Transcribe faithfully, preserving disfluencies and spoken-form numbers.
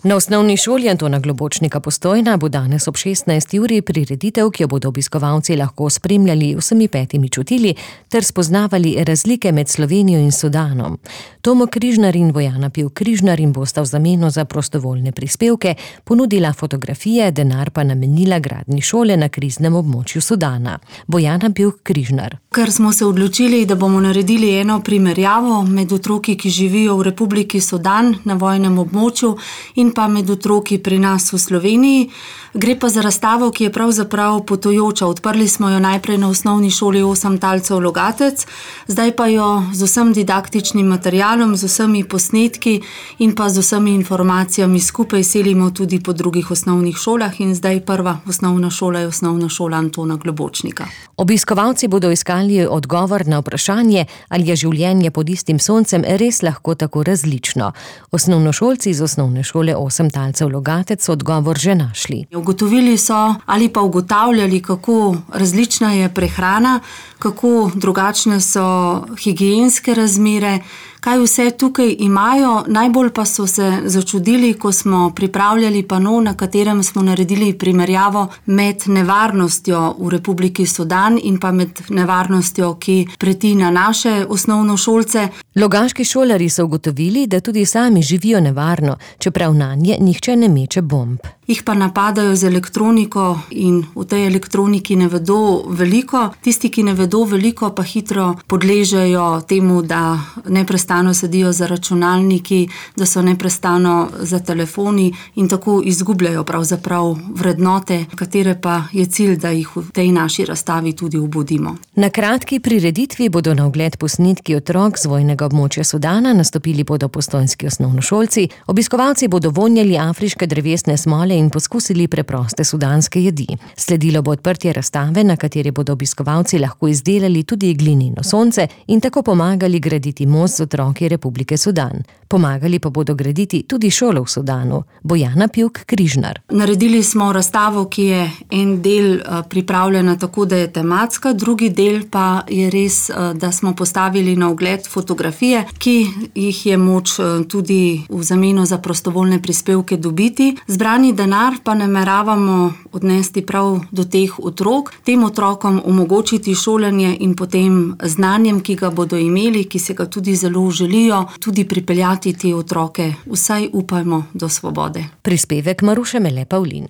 Na osnovni šoli Antona Globočnika Postojna bo danes ob šestnajsti uri prireditev, ki jo bodo obiskovalci lahko spremljali vsemi petimi čutili ter spoznavali razlike med Slovenijo in Sudanom. Tomo Križnar in Bojana Pivk Križnar jim bosta v zameno za prostovoljne prispevke ponudila fotografije, denar pa namenila gradnji šole na kriznem območju Sudana. Bojana Pivk Križnar. Ker smo se odločili, da bomo naredili eno primerjavo med otroki, ki živijo v Republiki Sudan na vojnem območju in pa med otroki pri nas v Sloveniji. Gre pa za razstavo, ki je pravzaprav potujoča. Odprli smo jo najprej na osnovni šoli osem talcev Logatec, zdaj pa jo z vsem didaktičnim materialom, z vsemi posnetki in pa z vsemi informacijami skupaj selimo tudi po drugih osnovnih šolah in zdaj prva osnovna šola je osnovna šola Antona Globočnika. Obiskovalci bodo iskali odgovor na vprašanje, ali je življenje pod istim soncem res lahko tako različno. Osnovnošolci iz osnovne šole osem talcev Logatec so odgovor že našli. Ugotovili so ali pa ugotavljali, kako različna je prehrana, kako drugačne so higienske razmere, kaj vse tukaj imajo. Najbolj pa so se začudili, ko smo pripravljali pano, na katerem smo naredili primerjavo med nevarnostjo v Republiki Sudan in pa med nevarnostjo, ki preti na naše osnovnošolce. Logaški šolarji so ugotovili, da tudi sami živijo nevarno, čeprav nanje nihče ne meče bomb. Jih pa napadajo z elektroniko in v tej elektroniki ne vedo veliko. Tisti, ki ne vedo veliko, pa hitro podležejo temu, da neprestano sedijo za računalniki, da so neprestano za telefoni in tako izgubljajo pravzaprav vrednote, katere pa je cilj, da jih v tej naši razstavi tudi obudimo. Na kratki prireditvi bodo na ogled posnetki otrok z vojnega območja Sudana, nastopili bodo postojnski osnovnošolci, obiskovalci bodo vonjali afriške drevesne smole in poskusili preproste sudanske jedi. Sledilo bo odprtje razstave, na kateri bodo obiskovalci lahko izdelali tudi glineno sonce in tako pomagali graditi most z otroki Republike Sudan. Pomagali pa bodo graditi tudi šolo v Sudanu. Bojana Pivk Križnar. Naredili smo razstavo, ki je en del pripravljena tako, da je tematska, drugi del pa je res, da smo postavili na ogled fotografije, ki jih je moč tudi v zameno za prostovoljne prispevke dobiti. Zbrani denar pa nameravamo odnesti prav do teh otrok, tem otrokom omogočiti šolanje in potem znanjem, ki ga bodo imeli, ki se ga tudi zelo želijo, tudi pripeljati te otroke, vsaj upajmo, do svobode. Prispevek Maruše Mele Pavlin.